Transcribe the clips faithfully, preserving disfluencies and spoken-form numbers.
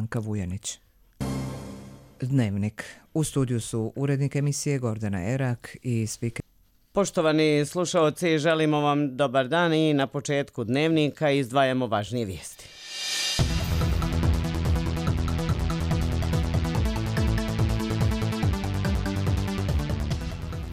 Branka Vujanić. Dnevnik. U studiju su urednik emisije Gordana Erak i spiker. Poštovani slušaoci, želimo vam dobar dan i na početku Dnevnika izdvajamo važnije vijesti.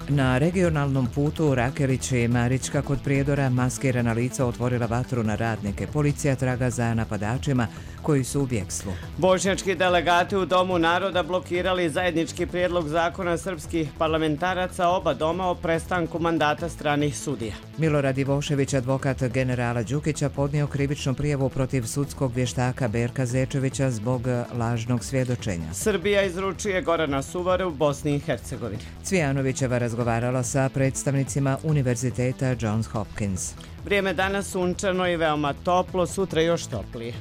Na regionalnom putu Rakelić i Marička kod Prijedora maskirana lica otvorila vatru na radnike. Policija traga za napadačima koji su u bjegstvu. Bošnjački delegati u Domu naroda blokirali zajednički prijedlog zakona srpskih parlamentaraca oba doma o prestanku mandata stranih sudija. Milorad Ivošević, advokat generala Đukića, podnio krivičnu prijavu protiv sudskog vještaka Berka Zečevića zbog lažnog svjedočenja. Srbija izručuje Gorana Suvaru u Bosni i Hercegovini. Cvijanovićeva razgovarala sa predstavnicima Univerziteta Johns Hopkins. Vrijeme danas sunčano i veoma toplo, sutra još toplije.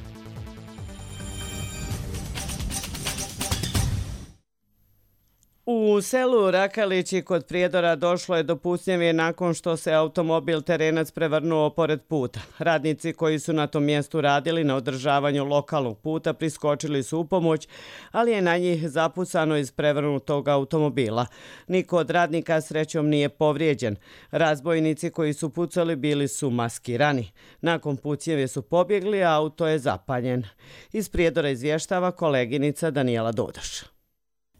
U selu Rakalići kod Prijedora došlo je do pucnjave nakon što se automobil terenac prevrnuo pored puta. Radnici koji su na tom mjestu radili na održavanju lokalnog puta priskočili su u pomoć, ali je na njih zapucano iz prevrnutog automobila. Niko od radnika srećom nije povrijeđen. Razbojnici koji su pucali bili su maskirani. Nakon pucnjave su pobjegli, a auto je zapaljen. Iz Prijedora izvještava koleginica Danijela Dodaš.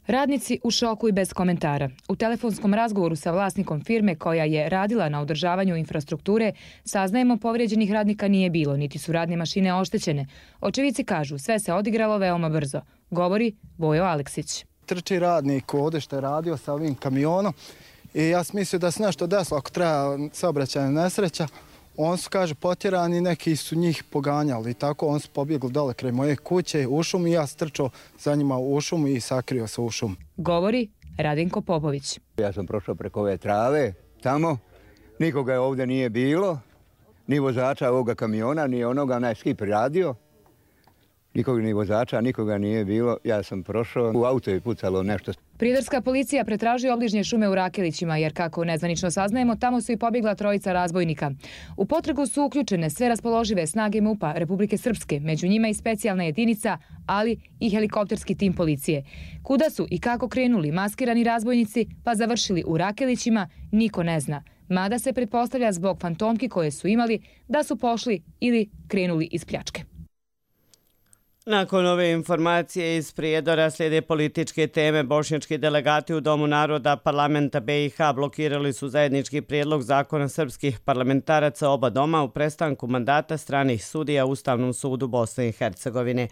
Radnici u šoku i bez komentara. U telefonskom razgovoru sa vlasnikom firme koja je radila na održavanju infrastrukture saznajemo povrijeđenih radnika nije bilo, niti su radne mašine oštećene. Očevici kažu sve se odigralo veoma brzo, govori Vojo Aleksić. Trči radnik ovdje što je radio sa ovim kamionom i ja sam mislio da se nešto desilo ako treba saobraćajna nesreća. On su, kaže, potjerani, neki su njih poganjali i tako on su pobjegli dole kraj moje kuće u šumu i ja strčao za njima u šumu i sakrio se u šumu. Govori Radinko Popović. Ja sam prošao preko ove trave tamo, nikoga je ovdje nije bilo, ni vozača ovoga kamiona, ni onoga, onaj skip radio. Nikoga ni vozača, nikoga nije bilo, ja sam prošao, u auto je pucalo nešto. Prijedorska policija pretražuje obližnje šume u Rakelićima, jer kako nezvanično saznajemo, tamo su i pobjegla trojica razbojnika. U potragu su uključene sve raspoložive snage MUP-a Republike Srpske, među njima i specijalna jedinica, ali i helikopterski tim policije. Kuda su i kako krenuli maskirani razbojnici, pa završili u Rakelićima, niko ne zna. Mada se pretpostavlja zbog fantomki koje su imali da su pošli ili krenuli iz pljačke. Nakon ove informacije iz Prijedora slijede političke teme. Bošnjački delegati u Domu naroda parlamenta B i H blokirali su zajednički prijedlog zakona srpskih parlamentaraca oba doma u prestanku mandata stranih sudija u Ustavnom sudu Bosne i Hercegovine.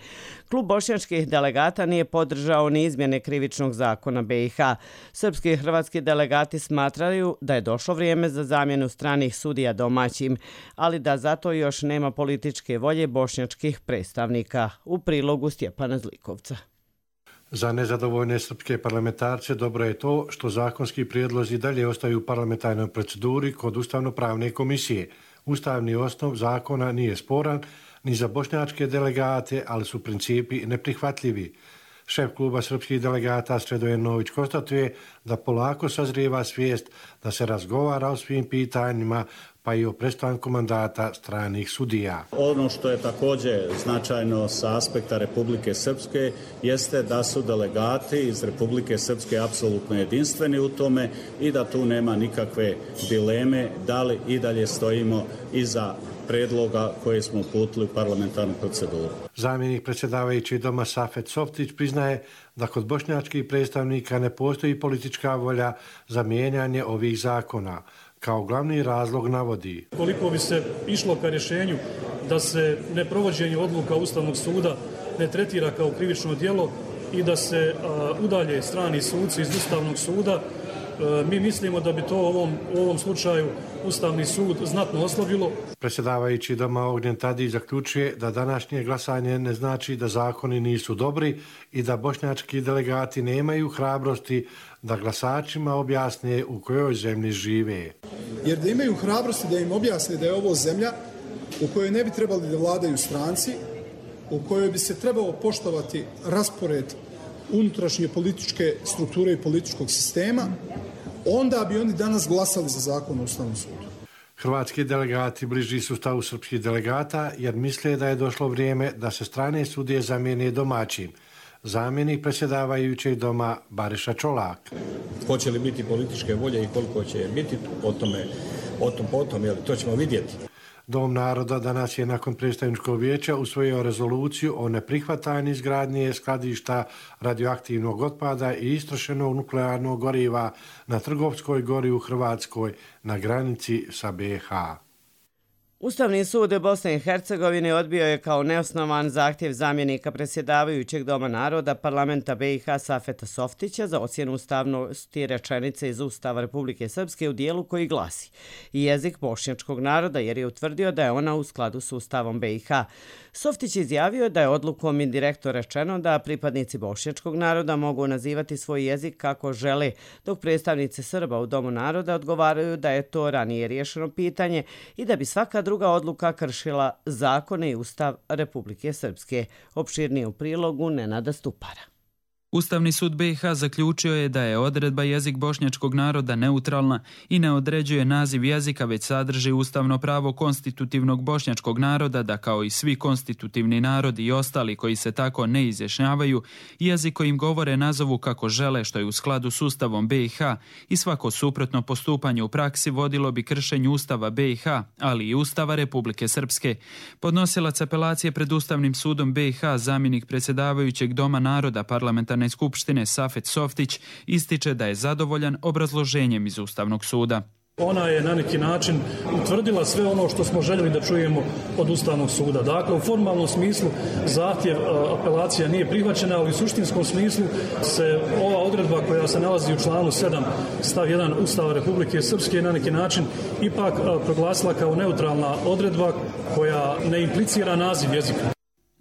Klub bošnjačkih delegata nije podržao ni izmjene krivičnog zakona B i H. Srpski i hrvatski delegati smatraju da je došlo vrijeme za zamjenu stranih sudija domaćim, ali da zato još nema političke volje bošnjačkih predstavnika. U prilogu Stjepana Zlikovca. Za nezadovoljne srpske parlamentarce dobro je to što zakonski prijedlozi dalje ostaju u parlamentarnoj proceduri kod Ustavno-pravne komisije. Ustavni osnov zakona nije sporan ni za bošnjačke delegate, ali su principi neprihvatljivi. Šef kluba srpskih delegata Sredoje Nović konstatuje da polako sazrijeva svijest da se razgovara o svim pitanjima, pa i o prestanku mandata stranih sudija. Ono što je također značajno sa aspekta Republike Srpske jeste da su delegati iz Republike Srpske apsolutno jedinstveni u tome i da tu nema nikakve dileme da li i dalje stojimo iza predloga koje smo uputili u parlamentarnu proceduru. Zamjenik predsjedavajući doma Safet Softić priznaje da kod bošnjačkih predstavnika ne postoji politička volja za mijenjanje ovih zakona. Kao glavni razlog navodi: koliko bi se išlo ka rješenju da se neprovođenje odluka Ustavnog suda ne tretira kao krivično djelo i da se a, udalje strani suci iz Ustavnog suda, a, mi mislimo da bi to u ovom, u ovom slučaju Ustavni sud znatno oslabilo. Predsjedavajući doma Ognjen Tadić zaključuje da današnje glasanje ne znači da zakoni nisu dobri i da bošnjački delegati nemaju hrabrosti da glasačima objasne u kojoj zemlji žive. Jer da imaju hrabrosti da im objasne da je ovo zemlja u kojoj ne bi trebali da vladaju stranci, u kojoj bi se trebalo poštovati raspored unutrašnje političke strukture i političkog sistema, onda bi oni danas glasali za zakon o Ustavnom sudu. Hrvatski delegati bliži su stavu srpskih delegata jer misle da je došlo vrijeme da se strane sudije zamijene domaćim. Zamjenik predsjedavajućeg doma Bariša Čolak. Hoće li biti političke volje i koliko će biti, o tome, o tom potom, jel, to ćemo vidjeti. Dom naroda danas je nakon predstavničkog vijeća usvojio rezoluciju o neprihvatanju izgradnje skladišta radioaktivnog otpada i istrošenog nuklearnog goriva na Trgovskoj gori u Hrvatskoj na granici sa B i H. Ustavni sud Bosne i Hercegovine odbio je kao neosnovan zahtjev zamjenika predsjedavajućeg Doma naroda parlamenta B i H Safeta Softića za ocjenu ustavnosti rečenice iz Ustava Republike Srpske u dijelu koji glasi jezik bošnjačkog naroda, jer je utvrdio da je ona u skladu s Ustavom B i H. Softić izjavio da je odlukom indirektno rečeno da pripadnici bošnjačkog naroda mogu nazivati svoj jezik kako žele, dok predstavnici Srba u Domu naroda odgovaraju da je to ranije riješeno pitanje i da bi svaka druga odluka kršila zakone i Ustav Republike Srpske. Opširnije u prilogu Nenada Stupara. Ustavni sud B i H zaključio je da je odredba jezik bošnjačkog naroda neutralna i ne određuje naziv jezika, već sadrži ustavno pravo konstitutivnog bošnjačkog naroda da kao i svi konstitutivni narodi i ostali koji se tako ne izjašnjavaju, jezik kojim govore nazovu kako žele, što je u skladu s Ustavom B i H, i svako suprotno postupanje u praksi vodilo bi kršenju Ustava B i H, ali i Ustava Republike Srpske. Podnosilac apelacije pred Ustavnim sudom B i H, zamjenik predsjedavajućeg Doma naroda parlamentarne skupštine Safet Softić, ističe da je zadovoljan obrazloženjem iz Ustavnog suda. Ona je na neki način utvrdila sve ono što smo željeli da čujemo od Ustavnog suda. Dakle, u formalnom smislu zahtjev apelacija nije prihvaćena, ali u suštinskom smislu se ova odredba koja se nalazi u članu sedam stav jedan Ustava Republike Srpske na neki način ipak proglasila kao neutralna odredba koja ne implicira naziv jezika.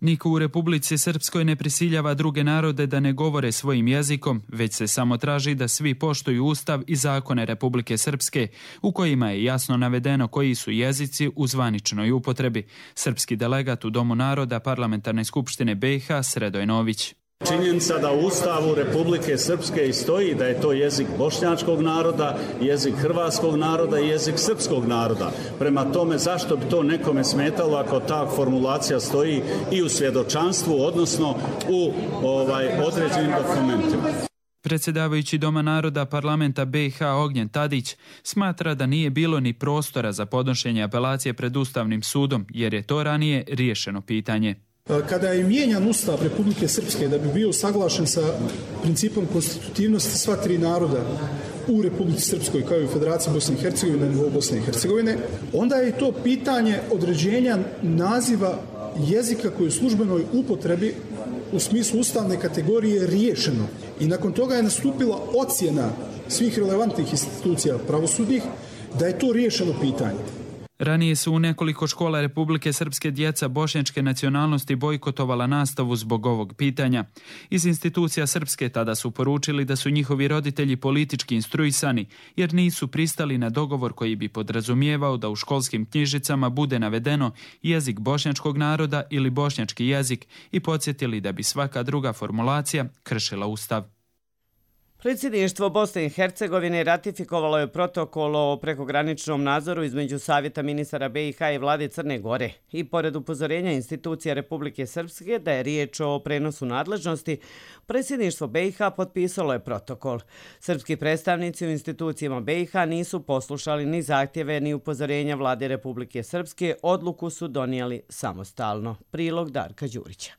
Niko u Republici Srpskoj ne prisiljava druge narode da ne govore svojim jezikom, već se samo traži da svi poštuju Ustav i zakone Republike Srpske, u kojima je jasno navedeno koji su jezici u zvaničnoj upotrebi. Srpski delegat u Domu naroda parlamentarne skupštine B i H Sredoj Nović. Činjenica da u Ustavu Republike Srpske i stoji da je to jezik bošnjačkog naroda, jezik hrvatskog naroda i jezik srpskog naroda. Prema tome, zašto bi to nekome smetalo ako ta formulacija stoji i u svjedočanstvu, odnosno u ovaj, određenim dokumentima? Predsjedavajući Doma naroda parlamenta B i H Ognjen Tadić smatra da nije bilo ni prostora za podnošenje apelacije pred Ustavnim sudom, jer je to ranije riješeno pitanje. Kada je mijenjan Ustav Republike Srpske da bi bio saglašen sa principom konstitutivnosti sva tri naroda u Republici Srpskoj kao i u Federaciji Bosne i Hercegovine na nivou Bosne i Hercegovine, onda je to pitanje određenja naziva jezika koji je u službenoj upotrebi u smislu ustavne kategorije riješeno. I nakon toga je nastupila ocjena svih relevantnih institucija pravosudnih da je to riješeno pitanje. Ranije su u nekoliko škola Republike Srpske djeca bošnjačke nacionalnosti bojkotovala nastavu zbog ovog pitanja. Iz institucija Srpske tada su poručili da su njihovi roditelji politički instruisani, jer nisu pristali na dogovor koji bi podrazumijevao da u školskim knjižicama bude navedeno jezik bošnjačkog naroda ili bošnjački jezik i podsjetili da bi svaka druga formulacija kršila Ustav. Predsjedništvo Bosne i Hercegovine ratifikovalo je protokol o prekograničnom nadzoru između Savjeta ministara B i H i vlade Crne Gore i pored upozorenja institucija Republike Srpske da je riječ o prenosu nadležnosti, predsjedništvo B i H potpisalo je protokol. Srpski predstavnici u institucijama B i H nisu poslušali ni zahtjeve ni upozorenja vlade Republike Srpske, odluku su donijeli samostalno. Prilog Darka Đurića.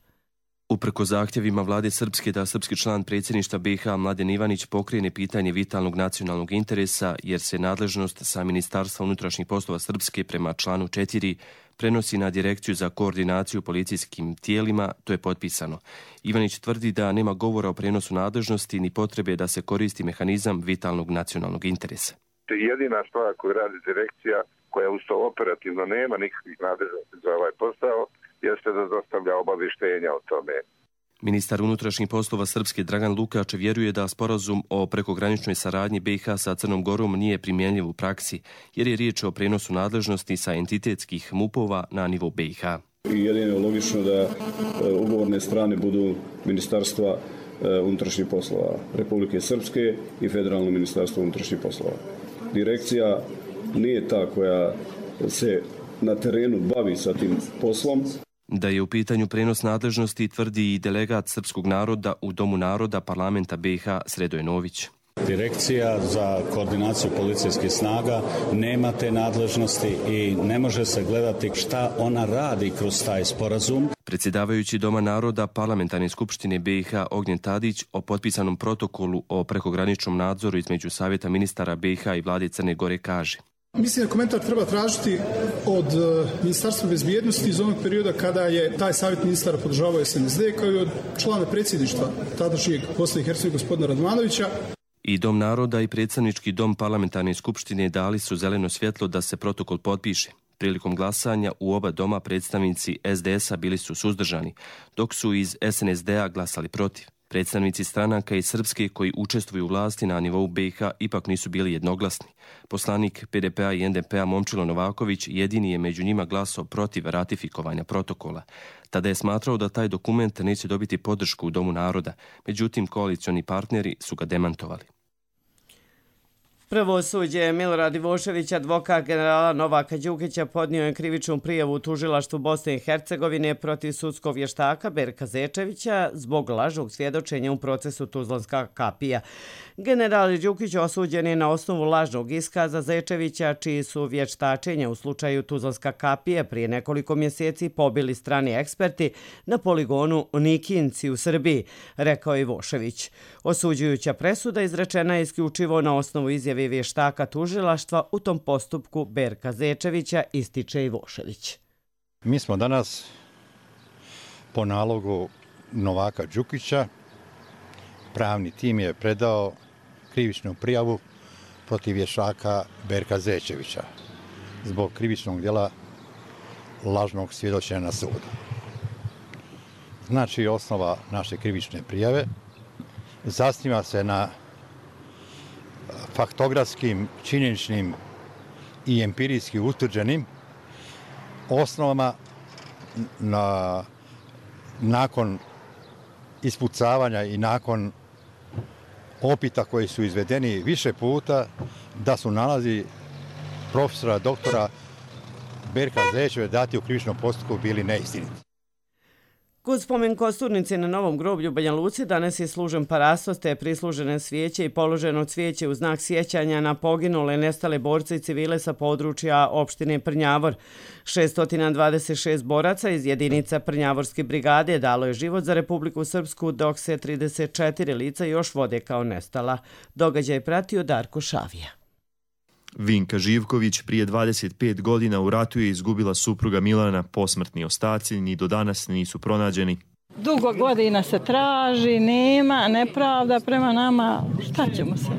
Uprko zahtjevima vlade Srpske da srpski član predsjedništva B i H Mladen Ivanić pokrene pitanje vitalnog nacionalnog interesa, jer se nadležnost sa Ministarstva unutrašnjih poslova Srpske prema članu četiri prenosi na Direkciju za koordinaciju policijskim tijelima, to je potpisano. Ivanić tvrdi da nema govora o prenosu nadležnosti ni potrebe da se koristi mehanizam vitalnog nacionalnog interesa. Jedina stvar koju radi direkcija, koja uz to operativno nema nikakvih nadležnosti za ovaj posao, jeste da dostavlja obavještenja o tome. Ministar unutrašnjih poslova Srpske Dragan Lukač vjeruje da sporazum o prekograničnoj saradnji B i H sa Crnom Gorom nije primjenjiv u praksi, jer je riječ o prenosu nadležnosti sa entitetskih mupova na nivo B i H. I jedino je logično da ugovorne strane budu Ministarstva unutrašnjih poslova Republike Srpske i Federalno ministarstvo unutrašnjih poslova. Direkcija nije ta koja se na terenu bavi sa tim poslom. Da je u pitanju prenos nadležnosti tvrdi i delegat srpskog naroda u Domu naroda parlamenta B i H Sredoje Nović. Direkcija za koordinaciju policijskih snaga nema te nadležnosti i ne može se gledati šta ona radi kroz taj sporazum. Predsjedavajući Doma naroda Parlamentarne skupštine B i H Ognjen Tadić o potpisanom protokolu o prekograničnom nadzoru između Savjeta ministara B i H i vlade Crne Gore kaže: Mislim da komentar treba tražiti od Ministarstva bezbjednosti iz onog perioda kada je taj savjet ministara podržavao S N S D, kao i od člana predsjedništva tadašnjeg Bosne i Hercegovine gospodina Radmanovića. I Dom naroda i predsjednički dom Parlamentarne skupštine dali su zeleno svjetlo da se protokol potpiše. Prilikom glasanja u oba doma predstavnici S D S-a bili su suzdržani, dok su iz S N S D-a glasali protiv. Predstavnici stranaka iz Srpske koji učestvuju u vlasti na nivou B i H ipak nisu bili jednoglasni. Poslanik P D P-a i N D P-a Momčilo Novaković jedini je među njima glasao protiv ratifikovanja protokola. Tada je smatrao da taj dokument neće dobiti podršku u Domu naroda, međutim koalicioni partneri su ga demantovali. Pravosuđe Milorad Ivošević, advokat generala Novaka Đukića, podnio je krivičnu prijavu u tužilaštvu Bosne i Hercegovine protiv sudskog vještaka Berka Zečevića zbog lažnog svjedočenja u procesu Tuzlanska kapija. General Đukić osuđen je na osnovu lažnog iskaza Zečevića, čiji su vještačenja u slučaju Tuzlanska kapija prije nekoliko mjeseci pobili strani eksperti na poligonu Nikinci u Srbiji, rekao Ivošević. Osuđujuća presuda izrečena je isključivo na osnovu izjave vještaka tužilaštva u tom postupku Berka Zečevića, ističe Ivošević. Mi smo danas po nalogu Novaka Đukića, pravni tim je predao krivičnu prijavu protiv vještaka Berka Zečevića zbog krivičnog djela lažnog svjedočenja na sudu. Znači, osnova naše krivične prijave zasniva se na faktografskim, činjeničnim i empirijski utvrđenim osnovama na, nakon ispucavanja i nakon opita koji su izvedeni više puta da su nalazi profesora, doktora Berka Zečevića dati u krivičnom postupku bili neistiniti. Kod spomen kosturnice na Novom groblju u Banja Luci danas je služen parastos te prislužene svijeće i položeno cvijeće u znak sjećanja na poginule nestale borce i civile sa područja opštine Prnjavor. šesto dvadeset šest boraca iz jedinica Prnjavorske brigade dalo je život za Republiku Srpsku, dok se trideset četiri lica još vode kao nestala. Događaj pratio Darko Šavija. Vinka Živković prije dvadeset pet godina u ratu je izgubila supruga Milana, posmrtni ostaci ni do danas nisu pronađeni. Dugo godina se traži, nema, nepravda prema nama, šta ćemo se?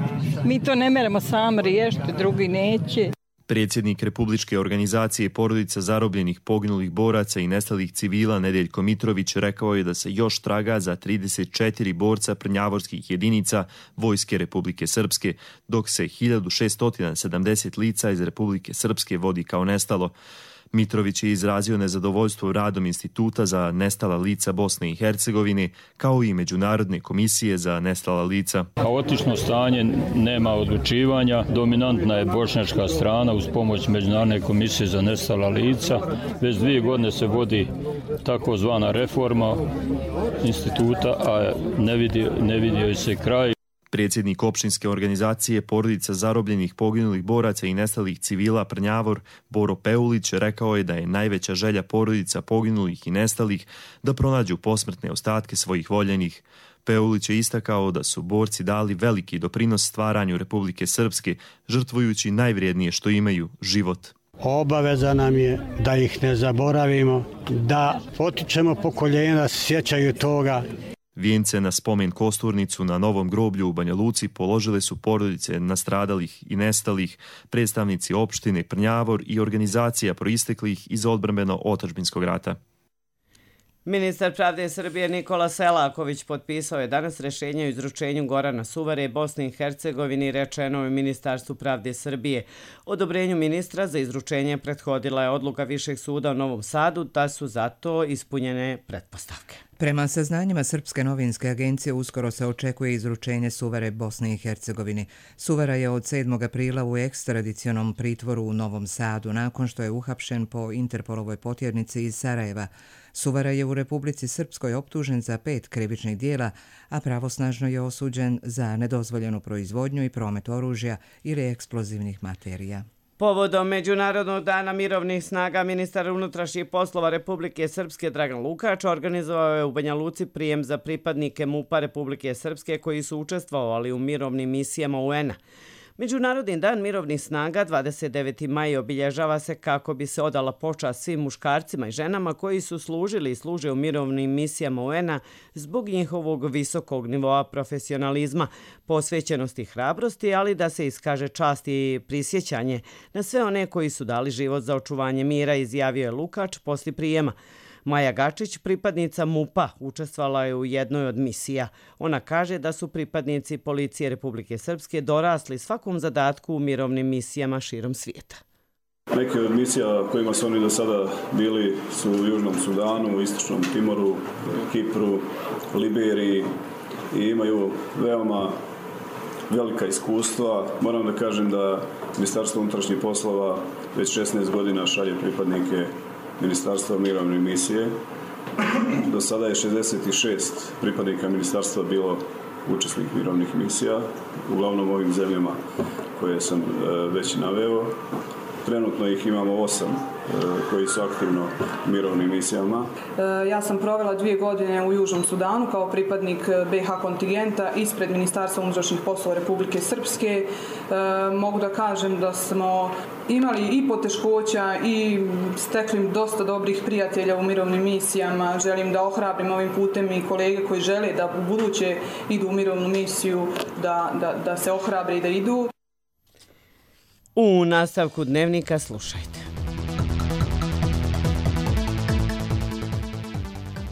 Mi to ne meremo sami riješiti, drugi neće. Predsjednik Republičke organizacije porodica zarobljenih poginulih boraca i nestalih civila Nedeljko Mitrović rekao je da se još traga za trideset četiri borca prnjavorskih jedinica Vojske Republike Srpske, dok se hiljadu šesto sedamdeset lica iz Republike Srpske vodi kao nestalo. Mitrović je izrazio nezadovoljstvo radom Instituta za nestala lica Bosne i Hercegovine, kao i Međunarodne komisije za nestala lica. Kaotično stanje, nema odlučivanja, dominantna je bošnjačka strana uz pomoć Međunarodne komisije za nestala lica. Već dvije godine se vodi takozvana reforma instituta, a ne vidio, ne vidio se kraj. Predsjednik opštinske organizacije porodica zarobljenih poginulih boraca i nestalih civila Prnjavor Boro Peulić rekao je da je najveća želja porodica poginulih i nestalih da pronađu posmrtne ostatke svojih voljenih. Peulić je istakao da su borci dali veliki doprinos stvaranju Republike Srpske, žrtvujući najvrijednije što imaju, život. Obaveza nam je da ih ne zaboravimo, da potičemo pokoljenja da se sjećaju toga. Vijence na spomen kosturnicu na Novom groblju u Banja Luci položile su porodice nastradalih i nestalih, predstavnici opštine Prnjavor i organizacija proisteklih iz odbrambeno-otadžbinskog rata. Ministar pravde Srbije Nikola Selaković potpisao je danas rješenje o izručenju Gorana Suvare Bosni i Hercegovini, rečeno je Ministarstvu pravde Srbije. Odobrenju ministra za izručenje prethodila je odluka Višeg suda u Novom Sadu da su zato ispunjene pretpostavke. Prema saznanjima Srpske novinske agencije uskoro se očekuje izručenje Suvare Bosne i Hercegovini. Suvara je od sedmog aprila u ekstradicionom pritvoru u Novom Sadu nakon što je uhapšen po Interpolovoj potjernici iz Sarajeva. Suvara je u Republici Srpskoj optužen za pet krivičnih dijela, a pravosnažno je osuđen za nedozvoljenu proizvodnju i promet oružja ili eksplozivnih materija. Povodom Međunarodnog dana mirovnih snaga, ministar unutrašnjih poslova Republike Srpske Dragan Lukač organizovao je u Banja Luci prijem za pripadnike MUP-a Republike Srpske koji su učestvovali u mirovnim misijama U N-a. Međunarodni dan mirovnih snaga dvadeset deveti maj obilježava se kako bi se odala počast svim muškarcima i ženama koji su služili i služe u mirovnim misijama U N-a zbog njihovog visokog nivoa profesionalizma, posvećenosti i hrabrosti, ali da se iskaže čast i prisjećanje na sve one koji su dali život za očuvanje mira, izjavio je Lukač poslije prijema. Maja Gačić, pripadnica MUP-a, učestvovala je u jednoj od misija. Ona kaže da su pripadnici Policije Republike Srpske dorasli svakom zadatku u mirovnim misijama širom svijeta. Neke od misija kojima su oni do sada bili su u Južnom Sudanu, u Istočnom Timoru, Kipru, Liberiji i imaju veoma velika iskustva. Moram da kažem da Ministarstvo unutrašnjih poslova već šesnaest godina šalje pripadnike Ministarstva mirovne misije. Do sada je šezdeset šest pripadnika ministarstva bilo učesnik mirovnih misija, uglavnom ovim zemljama koje sam već naveo. Trenutno ih imamo osam koji su aktivno u mirovnim misijama. Ja sam provela dvije godine u Južnom Sudanu kao pripadnik B H kontingenta ispred Ministarstva unutrašnjih poslova Republike Srpske. Mogu da kažem da smo imali i poteškoća i stekli dosta dobrih prijatelja u mirovnim misijama. Želim da ohrabrim ovim putem i kolege koji žele da u buduće idu u mirovnu misiju, da, da, da se ohrabre i da idu. U nastavku dnevnika slušajte.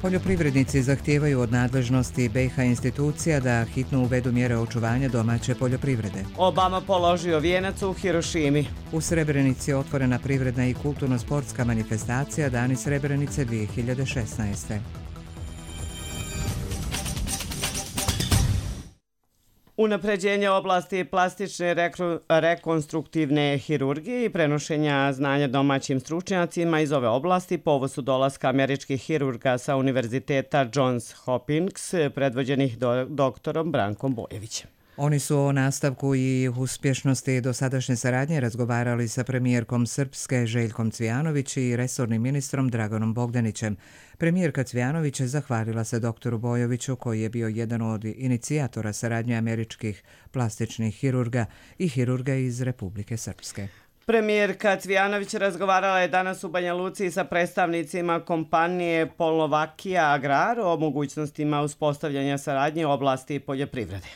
Poljoprivrednici zahtijevaju od nadležnosti B i H institucija da hitno uvedu mjere očuvanja domaće poljoprivrede. Obama položio vijenac u Hirošimi. U Srebrenici je otvorena privredna i kulturno-sportska manifestacija Dani Srebrenice dvije hiljade šesnaeste. Unapređenje oblasti plastične rekru, rekonstruktivne hirurgije i prenošenja znanja domaćim stručnjacima iz ove oblasti povod su dolaska američkih hirurga sa Univerziteta Johns Hopkins predvođenih do, doktorom Brankom Bojevićem. Oni su o nastavku i uspješnosti dosadašnje saradnje razgovarali sa premijerkom Srpske Željkom Cvijanović i resornim ministrom Draganom Bogdanićem. Premijerka Cvijanović zahvalila se doktoru Bojoviću koji je bio jedan od inicijatora saradnje američkih plastičnih hirurga i hirurga iz Republike Srpske. Premijerka Cvijanović razgovarala je danas u Banja Luci sa predstavnicima kompanije Polnovakija Agrar o mogućnostima uspostavljanja saradnje u oblasti poljoprivrede.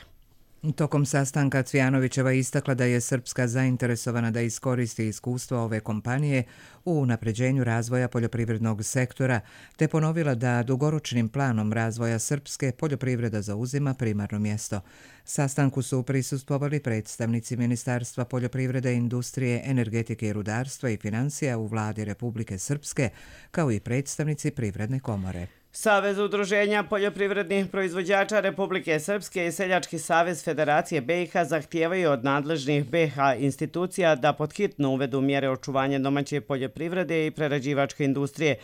Tokom sastanka Cvijanovićeva istakla da je Srpska zainteresovana da iskoristi iskustvo ove kompanije u unapređenju razvoja poljoprivrednog sektora, te ponovila da dugoročnim planom razvoja Srpske poljoprivreda zauzima primarno mjesto. Sastanku su prisustvovali predstavnici Ministarstva poljoprivrede, industrije, energetike i rudarstva i financija u vladi Republike Srpske, kao i predstavnici Privredne komore. Savez udruženja poljoprivrednih proizvođača Republike Srpske i Seljački savez Federacije B i H zahtijevaju od nadležnih B i H institucija da podhitno uvedu mjere očuvanja domaće poljoprivrede i prerađivačke industrije.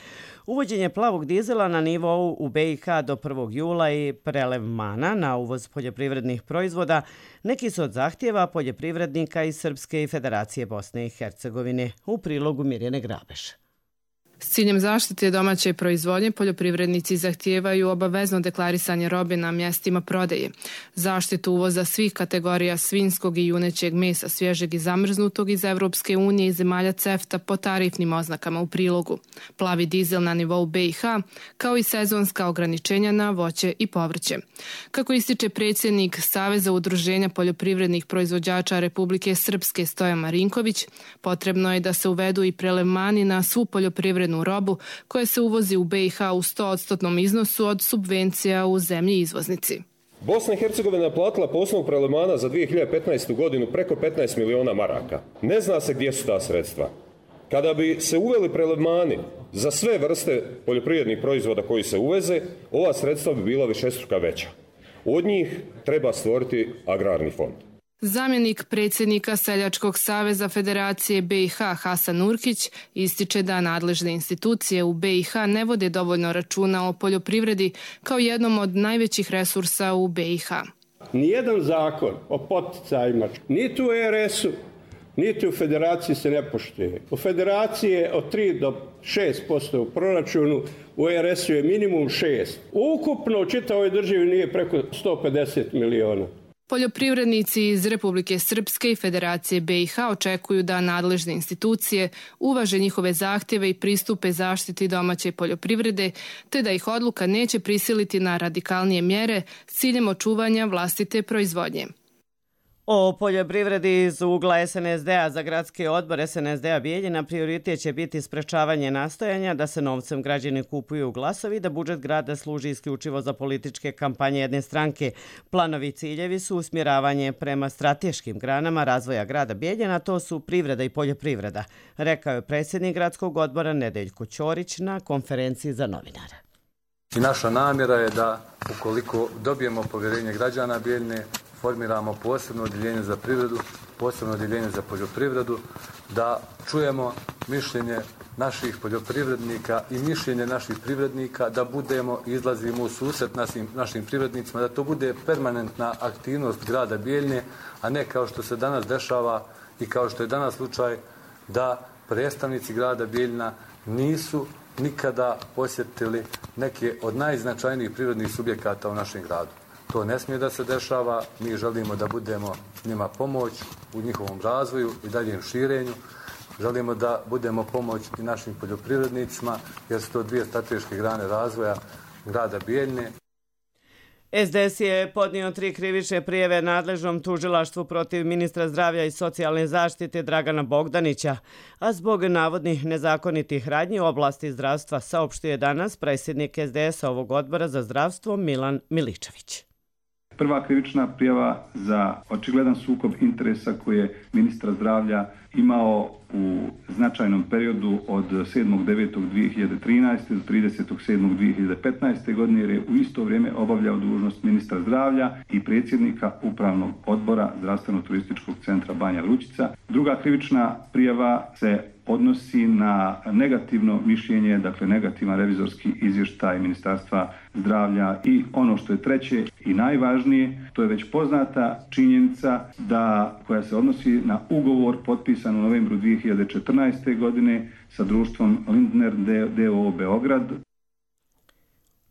Uvođenje plavog dizela na nivou u B i H do prvog jula i prelevmana na uvoz poljoprivrednih proizvoda neki su od zahtjeva poljoprivrednika iz Srpske i Federacije Bosne i Hercegovine. U prilogu Mirjane Grabeš. S ciljem zaštite domaće proizvodnje, poljoprivrednici zahtijevaju obavezno deklarisanje robe na mjestima prodaje, zaštitu uvoza svih kategorija svinjskog i junećeg mesa, svježeg i zamrznutog iz Evropske unije i zemalja CEFTA po tarifnim oznakama u prilogu, plavi dizel na nivou B i H, kao i sezonska ograničenja na voće i povrće. Kako ističe predsjednik Saveza udruženja poljoprivrednih proizvođača Republike Srpske Stojan Marinković, potrebno je da se uvedu i prelevmani na svu poljoprivrednu robu koja se uvozi u B i H u sto odstotnom iznosu od subvencija u zemlji izvoznici. Bosna i Hercegovina je platila po osnovu prelevmana za dvije hiljade petnaestu godinu preko petnaest miliona maraka. Ne zna se gdje su ta sredstva. Kada bi se uveli prelevmani za sve vrste poljoprivrednih proizvoda koji se uveze, ova sredstva bi bila višestruka veća. Od njih treba stvoriti agrarni fond. Zamjenik predsjednika Seljačkog saveza Federacije be i ha Hasan Urkić ističe da nadležne institucije u be i ha ne vode dovoljno računa o poljoprivredi kao jednom od najvećih resursa u be i ha. Nijedan zakon o poticajima, niti u er esu, niti u Federaciji se ne poštuje. U Federaciji je od tri do šest posto u proračunu, u er esu je minimum šest. Ukupno u čitavoj državi nije preko sto pedeset miliona. Poljoprivrednici iz Republike Srpske i Federacije be i ha očekuju da nadležne institucije uvaže njihove zahtjeve i pristupe zaštiti domaće poljoprivrede, te da ih odluka neće prisiliti na radikalnije mjere s ciljem očuvanja vlastite proizvodnje. O poljoprivredi iz ugla es en es de a za gradski odbor es en es de a Bijeljina prioritet će biti sprečavanje nastojanja da se novcem građani kupuju glasovi, da budžet grada služi isključivo za političke kampanje jedne stranke. Planovi i ciljevi su usmjeravanje prema strateškim granama razvoja grada Bijeljina, to su privreda i poljoprivreda, rekao je predsjednik gradskog odbora Nedeljko Ćorić na konferenciji za novinare. I naša namjera je da ukoliko dobijemo povjerenje građana Bijeljine, formiramo posebno odjeljenje za privredu, posebno odjeljenje za poljoprivredu, da čujemo mišljenje naših poljoprivrednika i mišljenje naših privrednika, da budemo i izlazimo u susret našim, našim privrednicima, da to bude permanentna aktivnost grada Bijeljine, a ne kao što se danas dešava i kao što je danas slučaj da predstavnici grada Bijeljina nisu nikada posjetili neke od najznačajnijih privrednih subjekata u našem gradu. To ne smije da se dešava, mi želimo da budemo njima pomoć u njihovom razvoju i daljem širenju. Želimo da budemo pomoć i našim poljoprivrednicima, jer su to dvije strateške grane razvoja grada Bijeljine. es de es je podnio tri krivične prijave nadležnom tužilaštvu protiv ministra zdravlja i socijalne zaštite Dragana Bogdanića, a zbog navodnih nezakonitih radnji u oblasti zdravstva, saopštio je danas predsjednik es de es ovog odbora za zdravstvo Milan Miličević. Prva krivična prijava za očigledan sukob interesa koji je ministar zdravlja imao u značajnom periodu od sedmog devetog dvije hiljade trinaeste do tridesetog sedmog dvije hiljade petnaeste godine, jer je u isto vrijeme obavljao dužnost ministra zdravlja i predsjednika upravnog odbora Zdravstveno-turističkog centra Banja Lučica. Druga krivična prijava se odnosi na negativno mišljenje, dakle negativan revizorski izvještaj Ministarstva zdravlja i ono što je treće i najvažnije, to je već poznata činjenica da koja se odnosi na ugovor potpisan u novembru dvije hiljade četrnaeste. godine sa društvom Lindner d o o Beograd.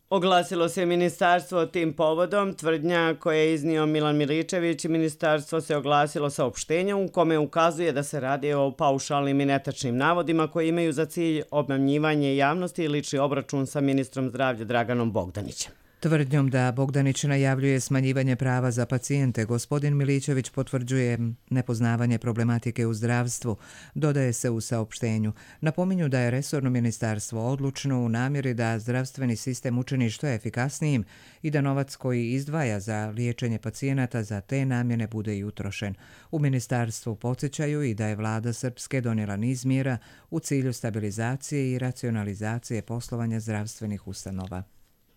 Oglasilo se ministarstvo tim povodom. Tvrdnja koje je iznio Milan Miličević, ministarstvo se oglasilo saopštenjem u kome ukazuje da se radi o paušalnim i netačnim navodima koji imaju za cilj obmanjivanje javnosti i lični obračun sa ministrom zdravlja Draganom Bogdanićem. Tvrdnjom da Bogdanić najavljuje smanjivanje prava za pacijente, gospodin Miličević potvrđuje nepoznavanje problematike u zdravstvu, dodaje se u saopštenju. Napominju da je resorno ministarstvo odlučno u namjeri da zdravstveni sistem učini što je efikasnijim i da novac koji izdvaja za liječenje pacijenata za te namjene bude i utrošen. U ministarstvu podsjećaju i da je vlada Srpske donijela niz mjera u cilju stabilizacije i racionalizacije poslovanja zdravstvenih ustanova.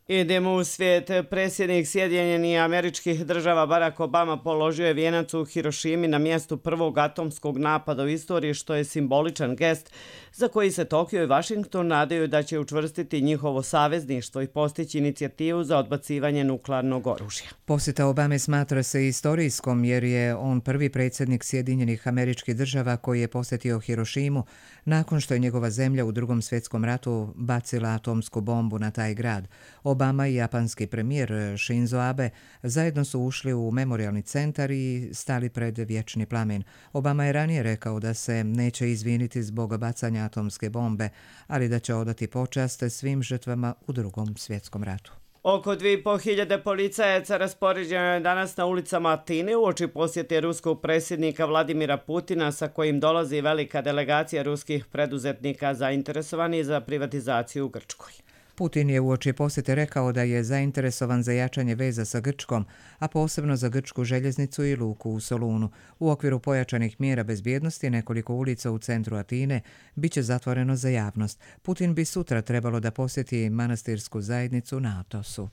Idemo u svijet. Predsjednik Sjedinjenih Američkih Država Barack Obama položio je vijenac u Hirošimi na mjestu prvog atomskog napada u istoriji, što je simboličan gest za koji se Tokio i Washington nadaju da će učvrstiti njihovo savezništvo i postići inicijativu za odbacivanje nuklearnog oružja. Posjeta Obame smatra se istorijskom jer je on prvi predsjednik Sjedinjenih Američkih Država koji je posjetio Hirošimu nakon što je njegova zemlja u Drugom svjetskom ratu bacila atomsku bombu na taj grad. Obama i japanski premijer Shinzo Abe zajedno su ušli u memorijalni centar i stali pred vječni plamen. Obama je ranije rekao da se neće izviniti zbog bacanja atomske bombe, ali da će odati počast svim žrtvama u Drugom svjetskom ratu. Oko dvije i pol hiljade policajaca raspoređeno je danas na ulicama Atine uoči posjete ruskog predsjednika Vladimira Putina, sa kojim dolazi velika delegacija ruskih preduzetnika zainteresovanih za privatizaciju u Grčkoj. Putin je uoči posjete rekao da je zainteresovan za jačanje veza sa Grčkom, a posebno za grčku željeznicu i luku u Solunu. U okviru pojačanih mjera bezbjednosti nekoliko ulica u centru Atine bit će zatvoreno za javnost. Putin bi sutra trebalo da posjeti manastirsku zajednicu na Atosu.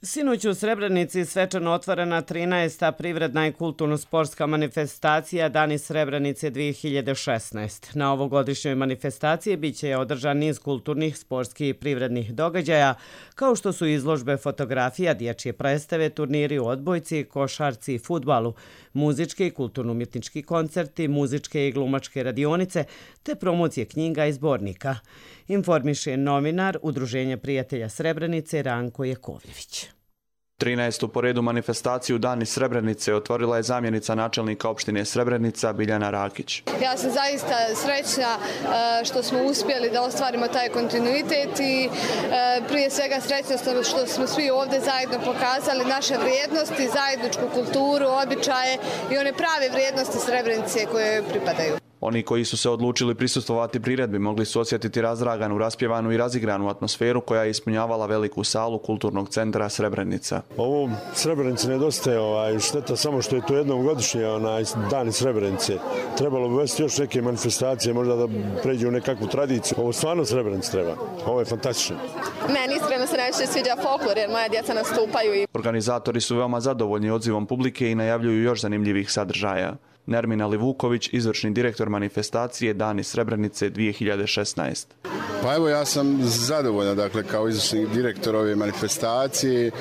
Sinoć u Srebrenici svečano otvorena trinaesta privredna i kulturno-sportska manifestacija Dani Srebrenice dvije hiljade šesnaeste. Na ovogodišnjoj manifestaciji bit će održan niz kulturnih, sportskih i privrednih događaja, kao što su izložbe fotografija, dječje predstave, turniri u odbojci, košarci i fudbalu, muzički i kulturno-umjetnički koncerti, muzičke i glumačke radionice, te promocije knjiga i zbornika. Informiše novinar Udruženja prijatelja Srebrenice Ranko Jakovljević. trinaestu po redu manifestaciju Dani Srebrenice otvorila je zamjenica načelnika opštine Srebrenica Biljana Rakić. Ja sam zaista srećna što smo uspjeli da ostvarimo taj kontinuitet i prije svega srećna što smo svi ovdje zajedno pokazali naše vrijednosti, zajedničku kulturu, običaje i one prave vrijednosti Srebrenice koje joj pripadaju. Oni koji su se odlučili prisustvovati priredbi mogli su osjetiti razdraganu, raspjevanu i razigranu atmosferu koja je ispunjavala veliku salu kulturnog centra Srebrenica. Ovo Srebrenici nedostaje, ovaj, šteta samo što je to jednom godišnje onaj, Dani Srebrenice. Trebalo bi uvesti još neke manifestacije, možda da pređe u nekakvu tradiciju. Ovo stvarno Srebrenici treba. Ovo je fantastično. Meni iskreno se najviše sviđa folklor jer moja djeca nastupaju. I... Organizatori su veoma zadovoljni odzivom publike i najavljuju još zanimljivih sadržaja. Nermina Livuković, izvršni direktor manifestacije Dani Srebrenice dvije hiljade šesnaeste. Pa evo, ja sam zadovoljan, dakle, kao izvršni direktor ove manifestacije. E,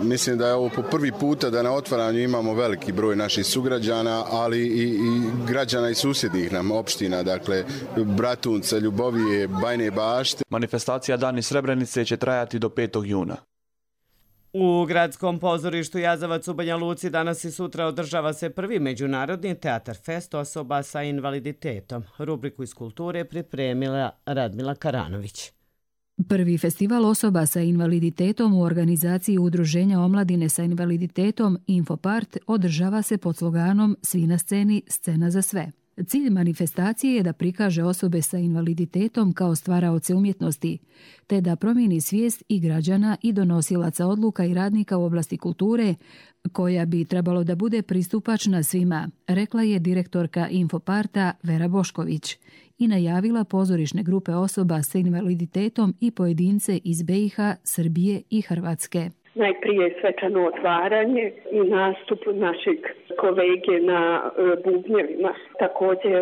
mislim da je ovo po prvi puta da na otvaranju imamo veliki broj naših sugrađana, ali i, i građana i susjednih nam opština, dakle, Bratunca, Ljubovije, Bajne Bašte. Manifestacija Dani Srebrenice će trajati do petog juna. U gradskom pozorištu Jazavac u Banja Luci danas i sutra održava se prvi međunarodni teatar fest osoba sa invaliditetom. Rubriku iz kulture pripremila Radmila Karanović. Prvi festival osoba sa invaliditetom u organizaciji Udruženja omladine sa invaliditetom Infopart održava se pod sloganom Svi na sceni, scena za sve. Cilj manifestacije je da prikaže osobe sa invaliditetom kao stvaraoce umjetnosti, te da promijeni svijest i građana i donosilaca odluka i radnika u oblasti kulture, koja bi trebalo da bude pristupačna svima, rekla je direktorka Infoparta Vera Bošković i najavila pozorišne grupe osoba sa invaliditetom i pojedince iz B i H, Srbije i Hrvatske. Najprije svečano otvaranje i nastup našeg kolege na bubnjevima. Također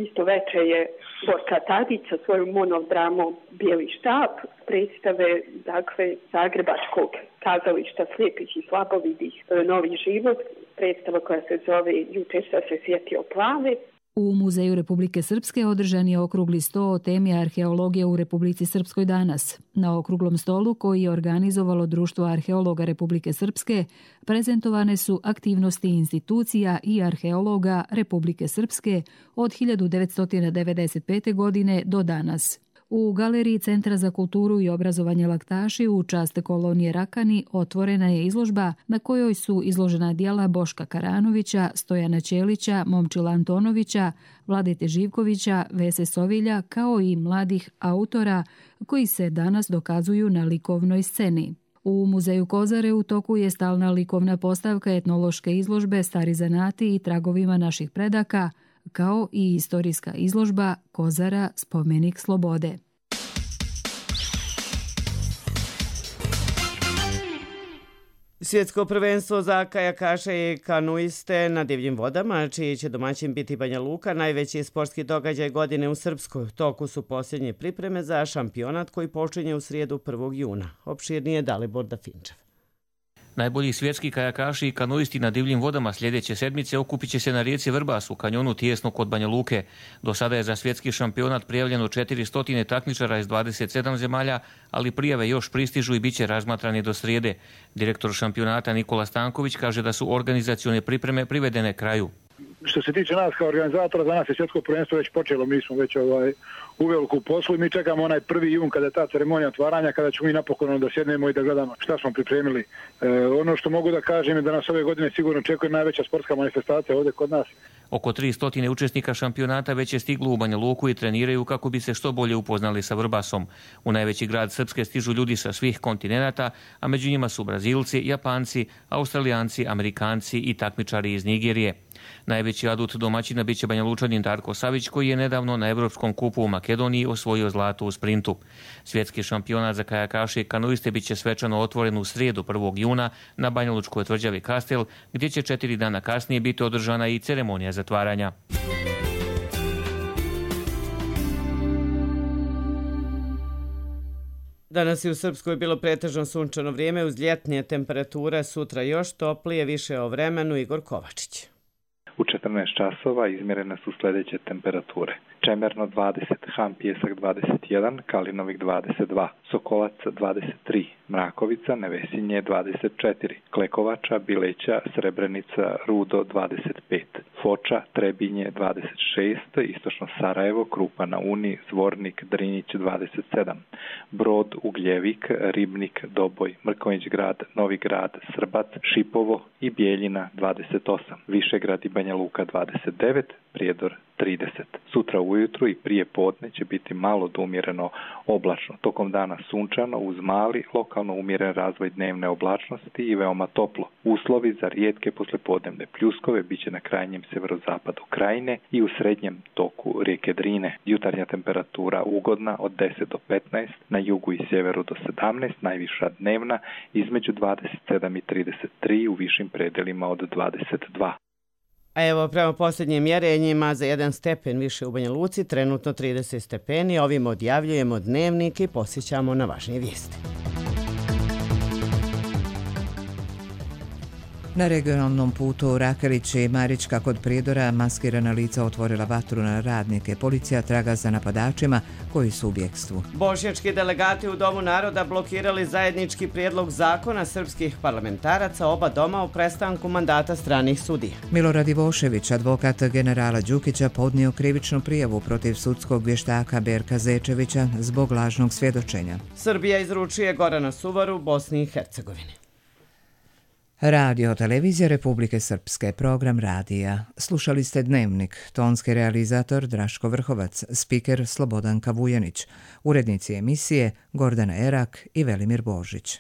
isto veče je Borka Tadić sa svojom monodramom Bijeli štab, predstave dakle, Zagrebačkog kazališta slijepih i slabovidih Novi život, predstava koja se zove Jučer sam se sjetio plave. U Muzeju Republike Srpske održan je okrugli sto o temi arheologije u Republici Srpskoj danas. Na okruglom stolu, koji je organizovalo Društvo arheologa Republike Srpske, prezentovane su aktivnosti institucija i arheologa Republike Srpske od hiljadu devetsto devedeset pete. godine do danas. U galeriji Centra za kulturu i obrazovanje Laktaši u čast kolonije Rakani otvorena je izložba na kojoj su izložena djela Boška Karanovića, Stojana Ćelića, Momčila Antonovića, Vladete Živkovića, Vese Sovilja, kao i mladih autora koji se danas dokazuju na likovnoj sceni. U Muzeju Kozare u toku je stalna likovna postavka etnološke izložbe Stari zanati i tragovima naših predaka, kao i istorijska izložba Kozara spomenik slobode. Svjetsko prvenstvo za kajakaše i kanuiste na divljim vodama, čiji će domaćin biti Banja Luka, najveći sportski događaj godine u Srpskoj. U toku su posljednje pripreme za šampionat koji počinje u srijedu prvog juna. Opširnije Dalibor Dafinčev. Najbolji svjetski kajakaši i kanuisti na divljim vodama sljedeće sedmice okupit će se na rijeci Vrbas u kanjonu tijesno kod Banja Luke. Do sada je za svjetski šampionat prijavljeno četiristo takmičara iz dvadeset sedam zemalja, ali prijave još pristižu i bit će razmatrani do srijede. Direktor šampionata Nikola Stanković kaže da su organizacione pripreme privedene kraju. Što se tiče nas kao organizatora, za nas je svjetsko prvenstvo već počelo, mi smo već ovaj, u veliku poslu i mi čekamo onaj prvi jun kada je ta ceremonija otvaranja, kada ćemo mi napokon da sjednemo i da gledamo šta smo pripremili. E, ono što mogu da kažem je da nas ove godine sigurno očekuje najveća sportska manifestacija ovdje kod nas. Oko tristo učesnika šampionata već je stiglo u Banja Luku i treniraju kako bi se što bolje upoznali sa Vrbasom. U najveći grad Srpske stižu ljudi sa svih kontinenata, a među njima su Brazilci, Japanci, Australijanci, Amerikanci i takmičari iz Nigerije. Najveći adut domaćina biće Banja Lučanin Darko Savić, koji je nedavno na Evropskom kupu u Makedoniji osvojio zlato u sprintu. Svjetski šampionat za kajakaše i kanoiste biće svečano otvoren u srijedu prvog juna na banjalučkoj tvrđavi Kastel, gdje će četiri dana kasnije biti održana i ceremonija zatvaranja. Danas je u Srpskoj bilo pretežno sunčano vrijeme uz ljetnije temperature, sutra još toplije, više o vremenu. Igor Kovačić. U četrnaest časova izmjerene su sljedeće temperature. Čemerno dvadeset, Han Pijesak dvadeset jedan, Kalinovik dvadeset dva, Sokolac dvadeset tri, Mrakovica, Nevesinje dvadeset četiri, Klekovača, Bileća, Srebrenica, Rudo dvadeset pet, Foča, Trebinje dvadeset šest, Istočno Sarajevo, Krupa na Uni, Zvornik, Drinjić dvadeset sedam, Brod, Ugljevik, Ribnik, Doboj, Mrkonjić grad, Novi grad, Srbac, Šipovo i Bijeljina dvadeset osam, Višegrad i Banja Luka dvadeset devet, Prijedor trideset. Sutra ujutru i prije podne će biti malo do umjereno oblačno. Tokom dana sunčano uz mali, lokalno umjeren razvoj dnevne oblačnosti i veoma toplo. Uslovi za rijetke poslijepodnevne pljuskove bit će na krajnjem severozapadu krajine i u srednjem toku rijeke Drine. Jutarnja temperatura ugodna od deset do petnaest, na jugu i sjeveru do sedamnaest, najviša dnevna između dvadeset sedam i trideset tri, u višim predelima od dvadeset dva. A evo, prema posljednjim mjerenjima za jedan stepen više u Banja Luci, trenutno trideset stepeni. Ovim odjavljujemo dnevnik i posjećamo na važnije vijesti. Na regionalnom putu Rakelić i Marička kod Prijedora maskirana lica otvorila vatru na radnike. Policija traga za napadačima koji su u bjekstvu. Bošnjački delegati u Domu naroda blokirali zajednički prijedlog zakona srpskih parlamentaraca oba doma u prestanku mandata stranih sudija. Milorad Ivošević, advokat generala Đukića, podnio krivičnu prijavu protiv sudskog vještaka Berka Zečevića zbog lažnog svjedočenja. Srbija izručuje Gorana Suvaru Bosni i Hercegovini. Radio Televizija Republike Srpske, program radija. Slušali ste Dnevnik, tonski realizator Draško Vrhovac, spiker Slobodanka Vujanić, urednici emisije Gordana Erak i Velimir Božić.